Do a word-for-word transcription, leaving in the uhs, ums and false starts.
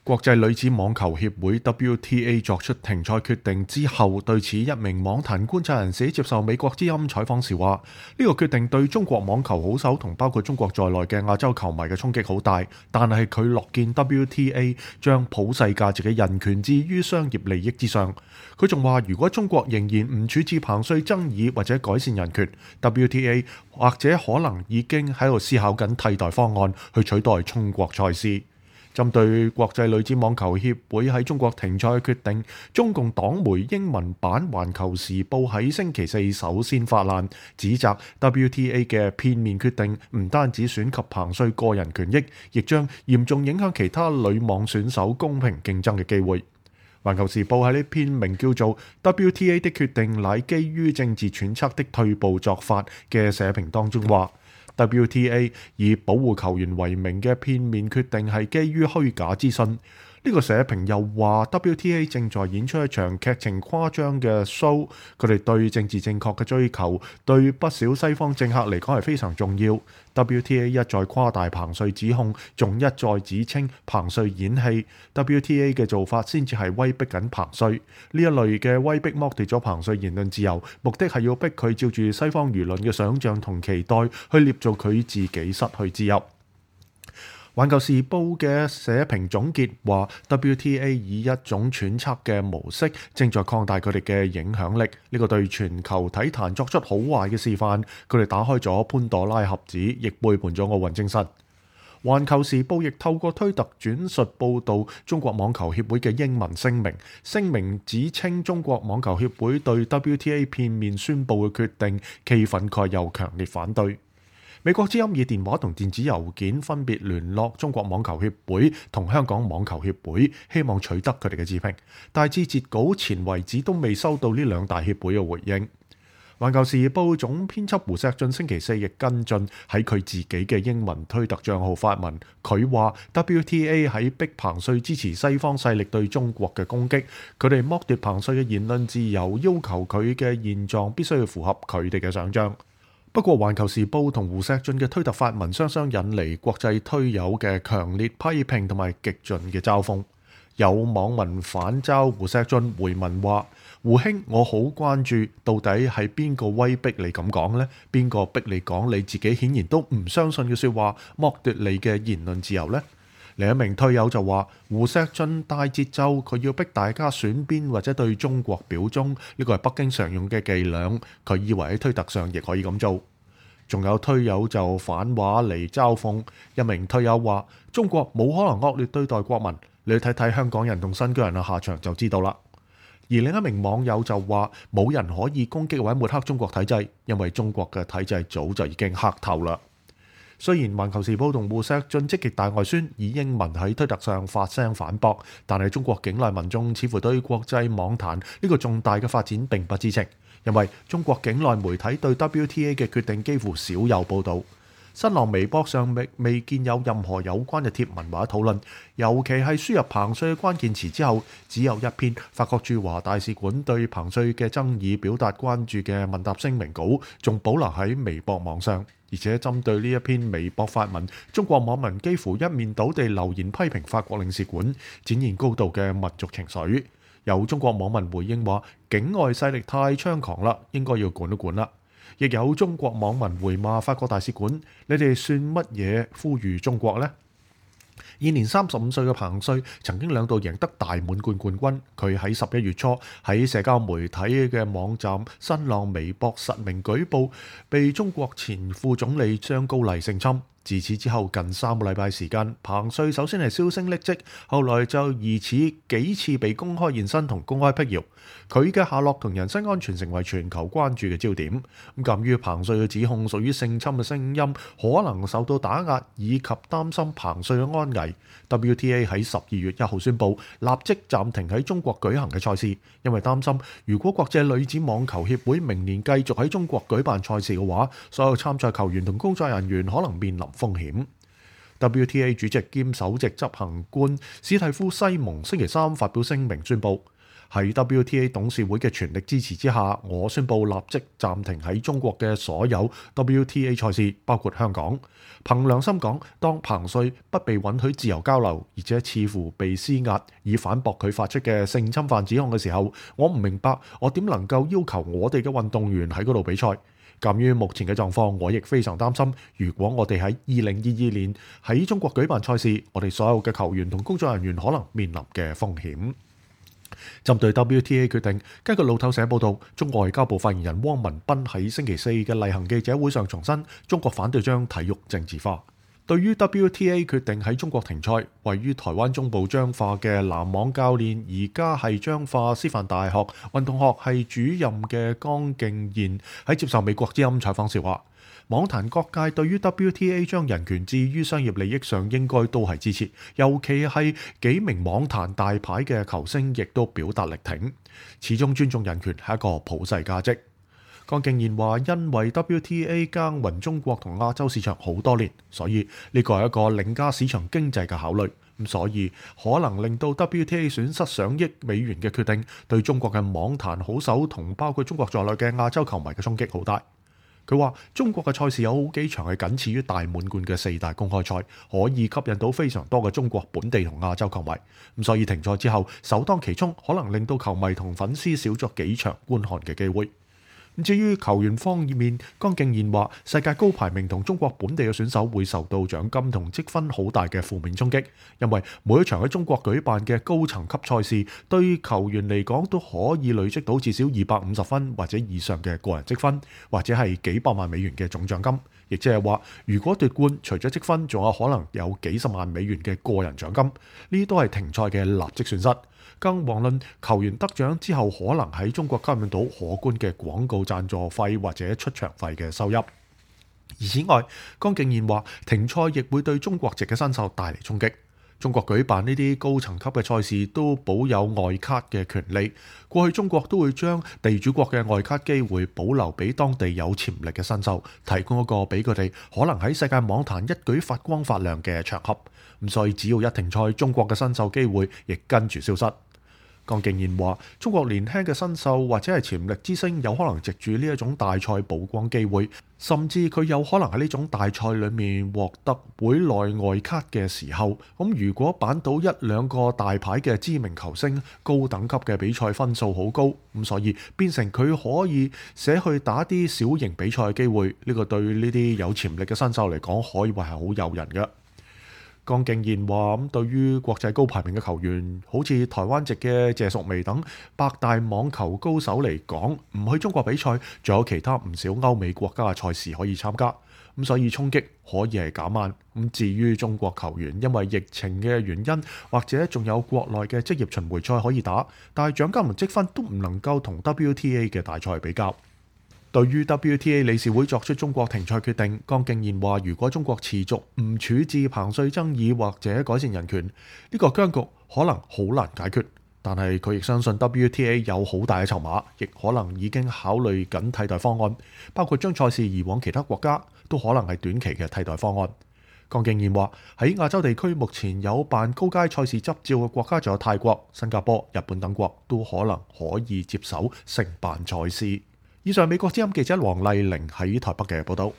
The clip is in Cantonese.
國際女子網球協會 W T A 作出停賽決定之後，對此一名網壇觀察人士接受美國之音採訪時話：呢個決定對中國網球好手同包括中國在內嘅亞洲球迷嘅衝擊好大，但係佢樂見 W T A 將普世價值嘅人權置於商業利益之上。佢仲話：如果中國仍然唔處置彭帥爭議或者改善人權， W T A 或者可能已經喺度思考緊替代方案去取代中國賽事。針對國際女子網球協會喺中國停賽嘅決定，中共黨媒英文版《環球時報》喺星期四首先發難，指責 W T A 嘅片面決定唔單止損及彭帥個人權益，亦將嚴重影響其他女網選手公平競爭嘅機會。《環球時報》喺呢篇名叫做《W T A 的決定乃基於政治揣測的退步作法》嘅社評當中話：W T A 以保護球員為名嘅片面決定係基於虛假資訊。呢個社評又話 W T A 正在演出一場劇情誇張嘅 show， 佢哋對政治正確嘅追求對不少西方政客嚟講係非常重要。W T A 一再誇大彭帥指控，仲一再指稱彭帥演戲。W T A 嘅做法先至係威逼緊彭帥。呢一類嘅威逼剝奪咗彭帥言論自由，目的係要逼佢照住西方輿論嘅想像同期待去捏造佢自己失去自由。環球時報嘅社評總結話 W T A 以一種揣測嘅模式正在擴大佢哋嘅影響力，呢個對全球體壇作出好壞嘅示範。佢哋打開咗潘朵拉盒子，亦背叛咗奧運精神。環球時報亦透過推特轉述報導中國網球協會嘅英文聲明，聲明指稱中國網球協會對 W T A 片面宣佈嘅決定既憤慨又強烈反對。美國之音以電話同電子郵件分別聯絡中國網球協會同香港網球協會，希望取得佢哋嘅置評，但至截稿前為止都未收到呢兩大協會嘅回應。環球時報總編輯胡錫進星期四亦跟進喺佢自己嘅英文推特帳號發文，佢話 W T A 喺逼彭帥支持西方勢力對中國嘅攻擊，佢哋剝奪彭帥嘅言論自由，要求佢嘅現狀必須要符合佢哋嘅想像。不過，環球時報同胡錫進嘅推特發文雙雙引嚟國際推友嘅強烈批評同埋極盡嘅嘲諷。有網民反嘲胡錫進回文話：胡兄，我好關注，到底係邊個威逼你咁講呢？邊個逼你講你自己顯然都唔相信嘅説話，剝奪你嘅言論自由呢？另一名推友就話：胡錫進帶節奏，佢要逼大家選邊或者對中國表忠，呢個係北京常用嘅伎倆。佢以為喺推特上亦可以咁做。仲有推友就反話嚟嘲諷，一名推友話：中國冇可能惡劣對待國民，你去睇睇香港人同新疆人嘅下場就知道啦。而另一名網友就話：冇人可以攻擊或者抹黑中國體制，因為中國嘅體制早就已經黑透啦。雖然環球時報同胡錫進積極大外宣，以英文喺推特上發聲反駁，但係中國境內民眾似乎對國際網壇呢個重大嘅發展並不知情，因為中國境內媒體對 W T A 嘅決定幾乎少有報導。新浪微博上未未見有任何有關嘅貼文或者討論，尤其係輸入彭帥嘅關鍵詞之後，只有一篇法國駐華大使館對彭帥嘅爭議表達關注嘅問答聲明稿，仲保留喺微博網上。而且針對呢一篇微博發文，中國網民幾乎一面倒地留言批評法國領事館，展現高度嘅民族情緒。有中國網民回應話：境外勢力太猖狂啦，應該要管一管啦。亦有中國網民回罵法國大使館：你哋算乜嘢呼籲中國呢？現年三十五歲嘅彭帥曾經兩度贏得大滿貫冠軍。佢喺十一月初喺社交媒體嘅網站新浪微博實名舉報，被中國前副總理張高麗性侵。自此之後近三個禮拜時間，彭帥首先係銷聲匿跡，後來就疑似幾次被公開現身同公開闢謠。佢嘅下落同人身安全成為全球關注嘅焦點。咁鑑於彭帥嘅指控屬於性侵嘅聲音可能受到打壓，以及擔心彭帥嘅安危， W T A 喺十二月一號宣布立即暫停喺中國舉行嘅賽事，因為擔心如果國際女子網球協會明年繼續喺中國舉辦賽事嘅話，所有參賽球員同工作人員可能面臨風險。W T A 主席兼首席執行官史蒂夫西蒙星期三發表聲明宣布，喺 W T A 董事會嘅全力支持之下，我宣布立即暫停喺中國嘅所有 W T A 賽事，包括香港。憑良心講，當彭帥不被允許自由交流，而且似乎被施壓以反駁佢發出嘅性侵犯指控嘅時候，我唔明白我點能夠要求我哋嘅運動員喺嗰度比賽。鑑於目前嘅狀況，我亦非常擔心，如果我哋喺二零二二年喺中國舉辦賽事，我哋所有嘅球員同工作人員可能面臨嘅風險。針對 W T A 決定，根據路透社報道，中國外交部發言人汪文斌喺星期四嘅例行記者會上重申，中國反對將體育政治化。對於 W T A 決定喺中國停賽，位於台灣中部彰化嘅籃網教練，而家係彰化師範大學運動學系主任嘅江敬賢喺接受美國之音採訪時話，網壇各界對於 W T A 將人權置於商業利益上應該都係支持，尤其係幾名網壇大牌嘅球星亦都表達力挺，始終尊重人權係一個普世價值。江敬賢話：因為 W T A 耕耘中國同亞洲市場好多年，所以呢個係一個凌駕市場經濟嘅考慮。咁所以可能令到 W T A 損失上億美元嘅決定，對中國嘅網壇好手同包括中國在內嘅亞洲球迷嘅衝擊好大。佢話：中國嘅賽事有好幾場係僅次於大滿貫嘅四大公開賽，可以吸引到非常多嘅中國本地同亞洲球迷。咁所以停賽之後，首當其衝可能令到球迷同粉絲少咗幾場觀看嘅機會。至於球員方面，江敬賢話：世界高排名同中國本地嘅選手會受到獎金同積分好大嘅負面衝擊，因為每一場喺中國舉辦嘅高層級賽事，對球員嚟講都可以累積到至少二百五十分或者以上嘅個人積分，或者係幾百萬美元嘅總獎金。亦即係話，如果奪冠，除咗積分，仲有可能有幾十萬美元嘅個人獎金，呢啲都係停賽嘅立即損失。更遑論球員得獎之後，可能喺中國吸引到可觀嘅廣告贊助費或者出場費嘅收入。而此外，江敬賢話停賽亦會對中國籍嘅新秀帶嚟衝擊。中國舉辦呢啲高層級嘅賽事都保有外卡嘅權利。過去中國都會將地主國嘅外卡機會保留俾當地有潛力嘅新秀，提供一個俾佢哋可能喺世界網壇一舉發光發亮嘅場合。咁所以只要一停賽，中國嘅新秀機會亦跟住消失。江敬賢話：中國年輕嘅新秀或者係潛力之星，有可能藉住呢一種大賽曝光機會，甚至佢有可能喺呢種大賽裏面獲得會內外卡嘅時候，咁如果扳到一兩個大牌嘅知名球星，高等級嘅比賽分數好高，咁所以變成佢可以寫去打啲小型比賽嘅機會，呢個對呢啲有潛力嘅新秀嚟講，可以話係好誘人嘅。江敬賢話：咁對於國際高排名嘅球員，好似台灣籍嘅謝淑薇等百大網球高手嚟講，唔去中國比賽，仲有其他唔少歐美國家嘅賽事可以參加。咁所以衝擊可以係減慢。咁至於中國球員，因為疫情嘅原因，或者仲有國內嘅職業巡迴賽可以打，但係獎金同積分都唔能夠同 W T A 嘅大賽比較。對於 W T A 理事會作出中國停賽決定，江敬賢話：如果中國持續唔處置彭帥爭議或者改善人權，呢個僵局可能好難解決。但係佢亦相信 W T A 有好大嘅籌碼，亦可能已經考慮緊替代方案，包括將賽事移往其他國家，都可能係短期嘅替代方案。江敬賢話：喺亞洲地區目前有辦高階賽事執照嘅國家，仲有泰國、新加坡、日本等國，都可能可以接手承辦賽事。以上美國之音記者黃麗玲喺台北嘅報道。